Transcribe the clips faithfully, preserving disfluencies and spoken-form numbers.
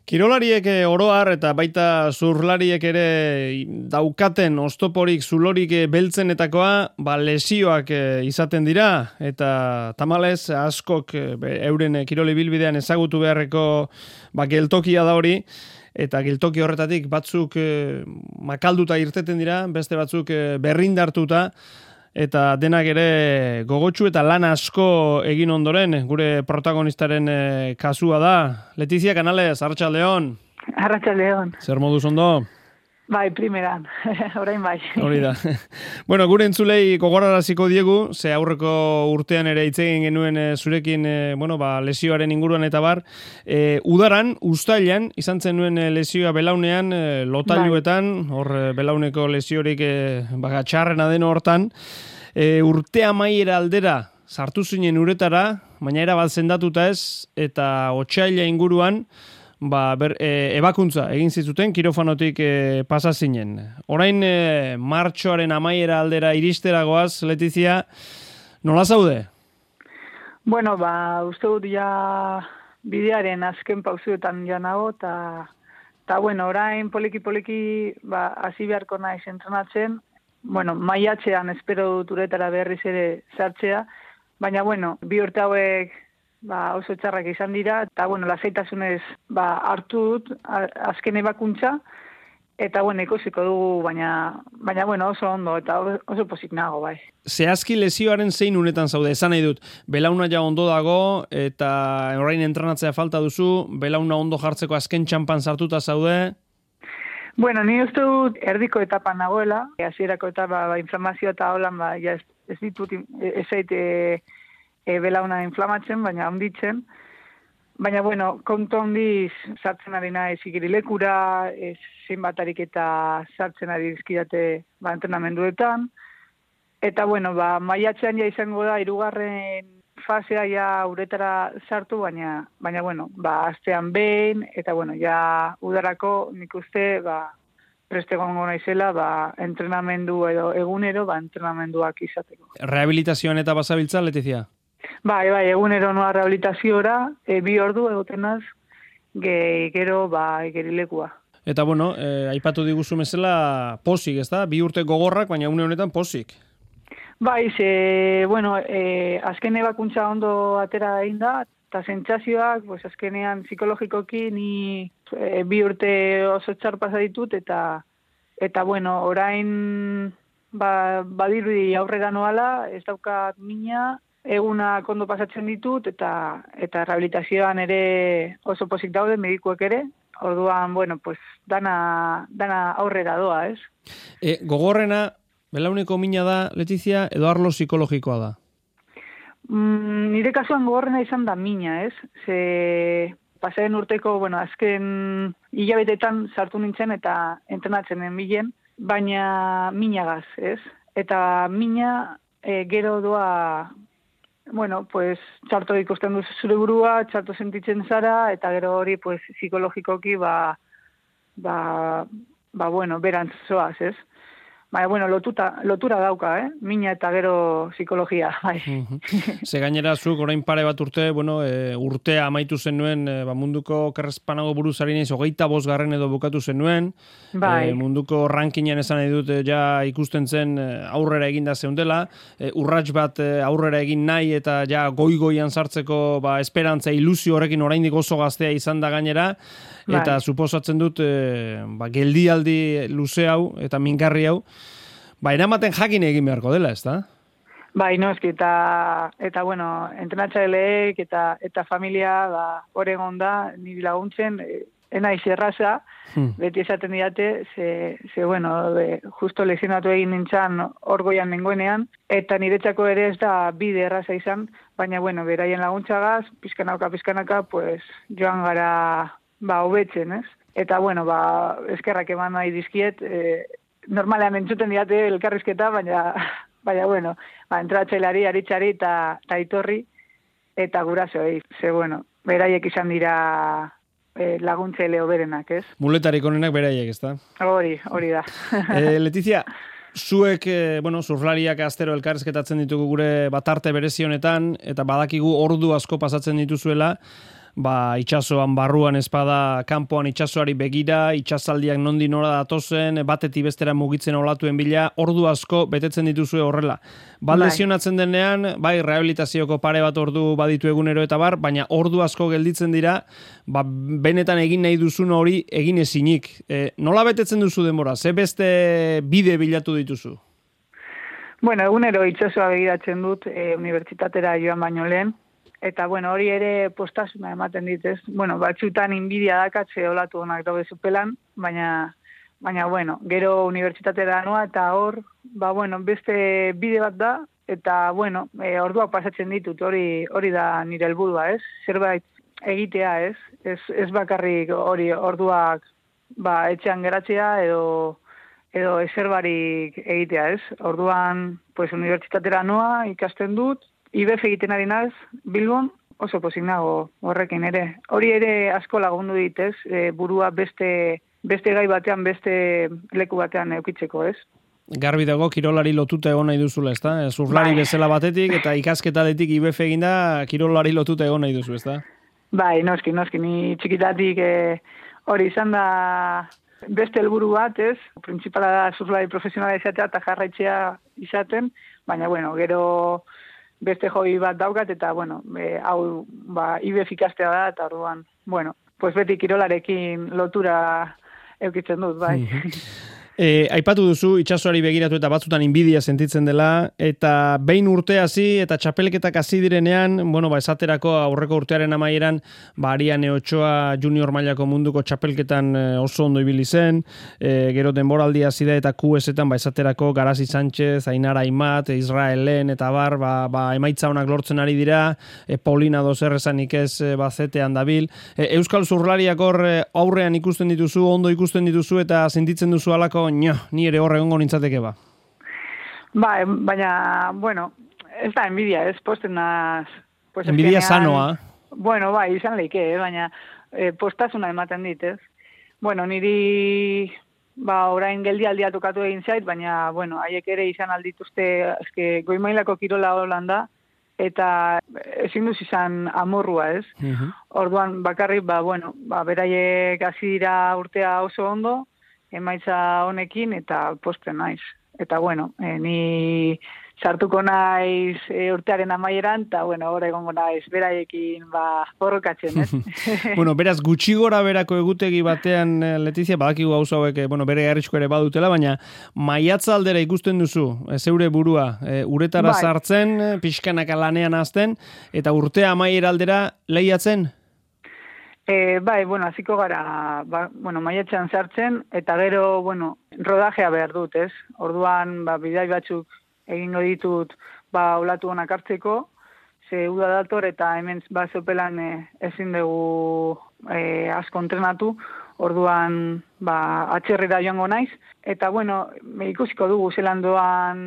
Kirolariek oroar eta baita zurlariek ere daukaten oztoporik zulorik beltzenetakoa ba lesioak izaten dira eta tamalez askok euren kirol ibilbidean ezagutu beharreko ba geltokia da hori eta geltoki horretatik batzuk makalduta irteten dira, beste batzuk berrindartuta eta denak ere gogotsu eta lan asko egin ondoren, gure protagonistaren kasua da. Letizia Canales, Arratsaldeon. Arratsaldeon. Zer moduz ondo? Bai, primeran, orain bai. Hori da. Bueno, gure entzulei gogoraraziko diegu, ze aurreko urtean ere hitz egin genuen e, zurekin e, bueno, ba, lesioaren inguruan eta bar. E, udaran, uztailan, izan zen nuen lesioa belaunean, e, lotailuetan, hor belauneko lesiorik e, baga txarrena den hortan. E, urte amaiera aldera sartu zinen uretara, baina era bat zendatuta ez, eta otsaila inguruan, ba, ber, e, ebakuntza egin zituten kirofanotik e, pasa zinen. Orain e, martxoaren amaiera aldera iristeragoaz, Letizia, nola zaude? Bueno, ba, uste dut ja bidearen azken pauzuetan ja nago, eta ta, bueno, orain poliki-poliki ba, hasi beharko naiz entrenatzen. Bueno, maiatzean espero dut uretara berriz ere sartzea, baina, bueno, bi urte hauek ba, oso txarrak izan dira, eta, bueno, lasaitasunez ba, hartu dut azken ebakuntza, eta, bueno, ikusiko dugu, baina, baina, bueno, oso ondo, eta oso pozik nago, bai. Zehazki lesioaren zein unetan zaude, esan nahi dut, belauna ja ondo dago, eta orain entrenatzea falta duzu, belauna ondo jartzeko azken txampan sartuta zaude? Bueno, ni uste dut erdiko etapan nagoela, hasierako etapa ba, inflamazio eta holan, ba, ja ez, ez ditut, ez zaite, E, belauna inflamatzen, baina onditzen. Baina, bueno, kontu ondiz sartzen ari naiz igerilekura, e, zenbatarik eta sartzen ari dizkidate ba, entrenamenduetan. Eta, bueno, ba, maiatzean ja izango da, hirugarren fasea ja uretara sartu, baina, baina bueno, ba, astean behin, eta, bueno, ja udarako nik uste, ba, preste gongo naizela, ba, entrenamendu edo egunero, ba, entrenamenduak izateko. Rehabilitazioan eta basabiltza, Letizia? Bai, bai, egunero noa rehabilitaziora, e, bi ordu egotenaz, ge, gero, ba, gerilekua. Eta, bueno, e, aipatu diguzu mesela posik, ez da? Bi urte gogorrak, baina une honetan posik. Bai, ze, bueno, e, azken ebakuntza ondo atera egin da, eta sentsazioak, pues, azkenean psikologikoki ni e, bi urte oso txar pasa ditut, eta, eta bueno, orain ba, badirudi aurrera noala, ez daukat mina, eguna kondo pasatzen ditut, eta eta rehabilitazioan ere oso pozik daude, medikuek ere, orduan, bueno, pues, dana, dana aurrera doa, ez? E, gogorrena, belauneko mina da, Letizia, edo arlo psikologikoa da? Mm, nire kasuan gogorrena izan da mina, ez? Ze pasaren urteko, bueno, azken hilabetetan sartu nintzen eta entrenatzen bilen, baina minagaz, ez? Eta mina e, gero doa, bueno, pues, txarto ikusten duzu zure burua, txarto sentitzen zara, eta gero hori, pues, psikologikoki, ba, ba, ba, bueno, berantz zoaz, ez? Baina, bueno, lotuta, lotura dauka, eh? Mina eta gero psikologia, bai. Uh-huh. Ze gainera zuk, orain pare bat urte, bueno, e, urtea amaitu zenuen, e, ba, munduko kerrezpanago buruzari naiz, hogeita bosgarren edo bukatu zenuen, bai. E, munduko rankinean esan nahi dut, ja ikusten zen aurrera eginda zeundela, e, urrats bat aurrera egin nahi eta ja goi-goian sartzeko ba, esperantza, ilusio horrekin oraindik oso gaztea izan da gainera, eta bai. Suposatzen dut, e, ba, geldialdi luze hau eta mingarri hau, ba, eramaten jakin egin beharko dela, ez da? Bai, no, eski, eta, eta bueno, entrenatzaileek eta, eta familia, ba, oregon da, niri laguntzen, e, enaiz erraza, hmm. beti esaten diate, ze, ze bueno, de, justo lezionatu egin nintzen orgoian nengoenean, eta niretzako ere ez da bide erraza izan, baina, bueno, beraien laguntzagaz, pizkanaka, pizkanaka, pues, joan gara, ba, hobetzen, ez? Eta, bueno, ba, eskerrak eman nahi dizkiet, e, normalean entzuten diate elkarrizketa, baina, baina bueno, ba, entratzailari, aritzari eta aitorri, eta gurasoei, ze, bueno, beraiek izan dira e, laguntzaile hoberenak, ez? Muletarik onenak beraiek, ez da? Hori, hori da. e, Letizia, zuek, e, bueno, surflariak astero elkarrizketatzen ditugu gure batarte berezi honetan, eta badakigu ordu asko pasatzen dituzuela, ba, itxasoan barruan espada, kanpoan itxasoari begira, itxasaldiak nondi nora datozen, batetik bestera mugitzen olatuen bila, ordu asko betetzen dituzue horrela. Ba, lesionatzen denean, bai, rehabilitazioko pare bat ordu baditu egunero eta bar, baina ordu asko gelditzen dira, ba, benetan egin nahi duzun hori egin ezinik. E, nola betetzen duzu denbora? Ze beste bide bilatu dituzu? Bueno, egunero itxasoa begiratzen dut e, unibertsitatera joan baino lehen, eta bueno, hori ere postasuna ematen ditez. Bueno, batzutan inbidia dakatze olatu honak daude zupelan, baina baina bueno, gero unibertsitatera noa eta hor, ba bueno, beste bide bat da, eta bueno, e, orduak pasatzen ditut, hori hori da nire helburua, ez? Zerbait egitea, ez? Ez, ez bakarrik hori orduak ba, etxean geratzea edo edo eserbarik egitea, ez? Orduan, pues, unibertsitatera noa, ikasten dut, I B F egiten ari naz, Bilbon, oso pozik nago horrekin ere. Hori ere asko lagundu ditez, e, burua beste, beste gai batean, beste leku batean eukitzeko, ez? Garbi dago, kirolari lotuta egon nahi duzula, ezta? Zurlari bai. Bezala batetik, eta ikasketatik I B F eginda, kirolari lotuta egon nahi duzu, ezta? Bai, noski, noski, ni txikitatik e, hori izan da beste helburu bat, ez? Printzipala da zurlari profesionala izatea eta jarraitzea izaten, baina, bueno, gero beste hobi bat daukat, eta, bueno, e, hau, ba, I B F ikastea da, eta orduan, bueno, pues beti kirolarekin lotura eukitzen dut, bai. Mm-hmm. E, aipatu duzu, itxasoari begiratu eta batzutan inbidia sentitzen dela, eta behin urte hasi eta txapelketak hasi direnean, bueno, ba, esaterako aurreko urtearen amaieran, ba, Ariane Ochoa junior mailako munduko txapelketan oso ondo ibili zen, e, gero denboraldi hasi da eta Q S-etan, ba, esaterako Garazi Sánchez, Ainara Aimat, Israelen eta bar, ba, ba, emaitza honak lortzen ari dira, e, Paulina dozer esanik ez e, bazetean dabil. E, Euskal Zurlariak hor aurrean ikusten dituzu, ondo ikusten dituzu eta sentitzen duzu alako nio, ni ere horre gongo nintzateke ba. Ba, baina, bueno, ez da enbidia, ez posten naz... Pues enbidia sanoa. Bueno, bai, izan leike, eh, baina eh, postasuna ematen dit, ez? Bueno, niri, ba, orain geldialdia tokatu egin zait, baina, bueno, haiek ere izan aldituzte, eske, goimailako kirola Holanda, eta ezin duz izan amorrua, ez? Uh-huh. Orduan, bakarrik, ba, bueno, ba, beraiek hasi dira urtea oso ondo, emaitza honekin eta posten naiz. Eta bueno, e, ni sartuko naiz e, urtearen amaieran, eta bueno, hor egongo naiz beraiekin ba, borrokatzen, ez? Bueno, beraz, gutxi gora berako egutegi batean, Letizia, badakigu gauza hauek, bueno, bere garritxko ere badutela, baina maiatza aldera ikusten duzu, e, zeure burua, e, uretara bai. Sartzen, pixkanaka lanean azten, eta urtea amaiera aldera lehiatzen? E, bai, bueno, hasiko gara, ba, bueno, maiatzean sartzen, eta gero, bueno, rodajea behar dut, ez? Orduan, ba, bidai batzuk egingo ditut, ba, olatu honak hartzeko, ze uda dator, eta hemen, ba, zopelan e, ezin dugu e, asko entrenatu, orduan, ba, atxerrera joango naiz, eta, bueno, ikusiko dugu zelan doan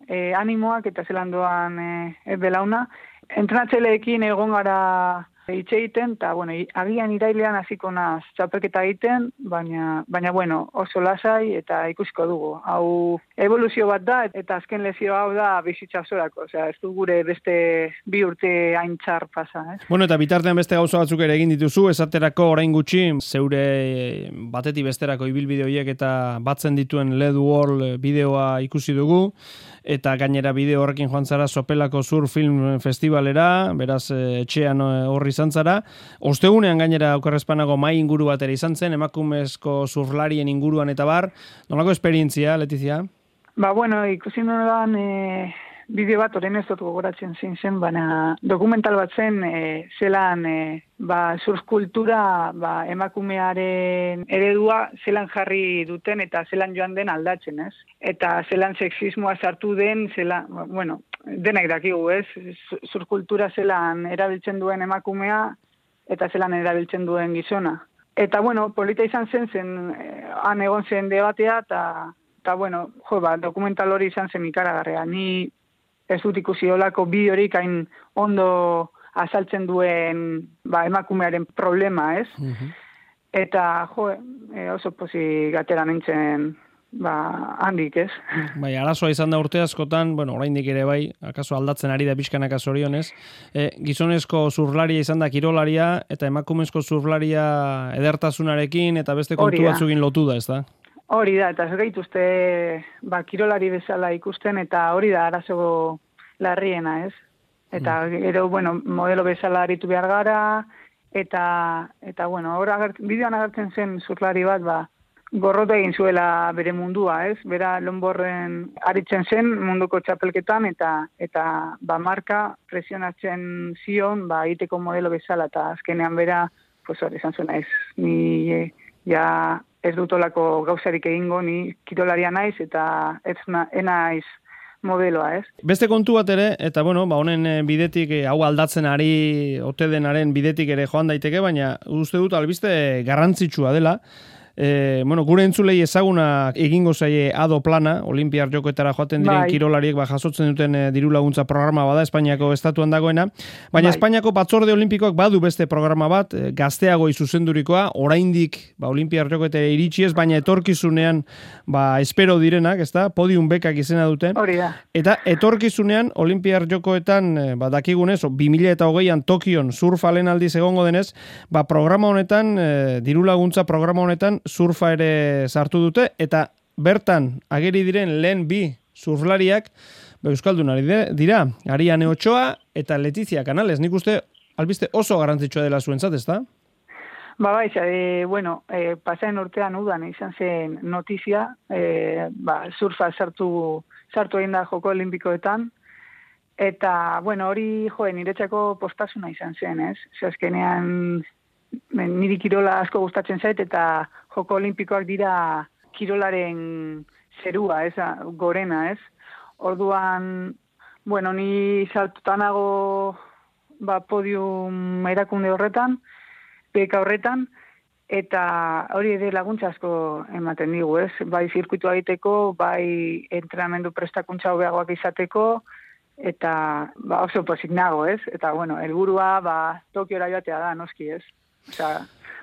e, animoak, eta zelan doan e, belauna. Entrenatzeleekin egon gara hitz egiten, eta, bueno, agian irailean hasiko naz txapelketa egiten, baina, baina, bueno, oso lasai eta ikusiko dugu. Hau evoluzio bat da, eta azken lezio hau da bizitza osorako, osea, ez du gure beste bi urte hain txar pasa, ez? Bueno, eta bitartean beste gauza batzuk ere egin dituzu, esaterako orain gutxi, zeure batetik besterako ibilbide horiek eta batzen dituen Led World bideoa ikusi dugu, eta gainera bideo horrekin joan zara Sopelako Sur Film Festivalera, beraz etxean horri izan zara. Ostegunean gainera okerrezpanago mai inguru bat ere izan zen, emakumezko zurlarien inguruan eta bar. Nolako esperientzia, Letizia? Ba, bueno, ikusi nolan e, bideo bat orain ez dut gogoratzen zein zen, baina dokumental bat zen, e, zelan e, ba, surfkultura ba, emakumearen eredua zelan jarri duten eta zelan joan den aldatzen, ez? Eta zelan sexismoa sartu den, zelan, bueno, denak dakigu, ez? Surfkultura zelan erabiltzen duen emakumea eta zelan erabiltzen duen gizona. Eta, bueno, polita izan zen, zen han egon zen debatea, eta, eta bueno, jo, ba, dokumental hori izan zen ikaragarria. Ni ez dut ikusi olako bideorik hain ondo azaltzen duen ba, emakumearen problema, ez? Uh-huh. Eta, jo, e, oso pozik atera nintzen ba, handik, ez? Bai, arazoa izan da urte askotan, bueno, oraindik ere bai, akaso aldatzen ari da pixkanaka zorionez, e, gizonezko zurlaria izan da kirolaria, eta emakumezko zurlaria edertasunarekin, eta beste kontu batzukin lotu da, ez da? Hori da, eta ez gaituzte, ba, kirolari bezala ikusten, eta hori da arazo larriena, ez? Eta, mm. gero, bueno, modelo bezala aritu behar gara, eta, eta bueno, bideoan agertzen zen zurlari bat, ba, gorrota egin zuela bere mundua, ez? Bera lonborren aritzen zen munduko txapelketan eta eta ba marka presionatzen zion, ba egiteko modelo bezala eta azkenean bera, pues hori izan zuena ez. Ni e, ja ez dutolako gauzarik egingo, ni kirolaria naiz eta ez na, enaiz modeloa, ez? Beste kontu bat ere, eta bueno, ba honen bidetik hau aldatzen ari ote denaren bidetik ere joan daiteke, baina uste dut albiste garrantzitsua dela. E, bueno, gure entzulei ezaguna egingo zaie ado plana, Olimpiar Jokoetara joaten diren bai. Kirolariek ba, jasotzen duten e, diru laguntza programa bada, Espainiako estatuan dagoena, baina bai. Espainiako batzorde olimpikoak badu beste programa bat, e, gazteago izuzendurikoa, oraindik ba, Olimpiar Jokoetara iritsi ez, baina etorkizunean ba, espero direnak, ezta? Podium bekak izena dute. Hori da. Eta etorkizunean Olimpiar Jokoetan e, ba, dakigunez, bi mila hogeian Tokion surfa lehen aldiz egongo denez, ba, programa honetan, e, diru laguntza programa honetan, surfa ere sartu dute, eta bertan ageri diren lehen bi surflariak ba, euskaldunari dira, Ariane Ochoa eta Letizia Canales. Nik uste albiste oso garrantzitsua dela zuentzat, ezta? Ba, bai, e, bueno, e, pasaen urtean udan izan zen notizia, e, ba, surfa sartu, sartu egin da joko olimpikoetan, eta, bueno, hori joen, niretzako postasuna izan zen, ez? Zazkenean, niri kirola asko gustatzen zait, eta joko olimpikoak dira kirolaren zerua, ez, gorena, ez? Orduan, bueno, ni saltutanago ba, podium erakunde horretan, beka horretan, eta hori ere laguntza asko ematen digu, ez? Bai zirkuitua egiteko, bai entrenamendu prestakuntza hobeagoak izateko, eta ba, oso pozik nago, ez? Eta, bueno, helburua ba, Tokiora joatea da, noski, ez? Osea,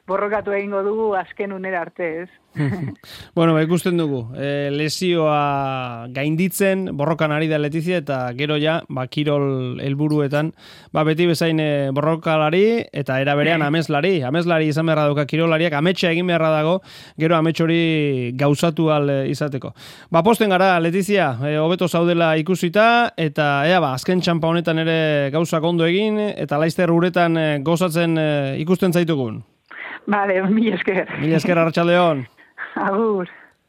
borrokatu egingo dugu azken unera arte, ez? Bueno, ba, ikusten dugu. E, lesioa gainditzen, borrokan ari da Letizia, eta gero ja, ba, kirol helburuetan, ba, beti bezain borrokalari, eta era berean ameslari. Ameslari izan beharra dauka kirolariak, ametsa egin beharra dago, gero amets hori gauzatu al izateko. Ba, posten gara, Letizia, e, hobeto zaudela ikusita, eta ea, ba, azken txampa honetan ere gauzak ondo egin, eta laizter uretan gozatzen e, ikusten zaitugun. Vale, mil esker. Mil esker, Arratsaldeon. Agur.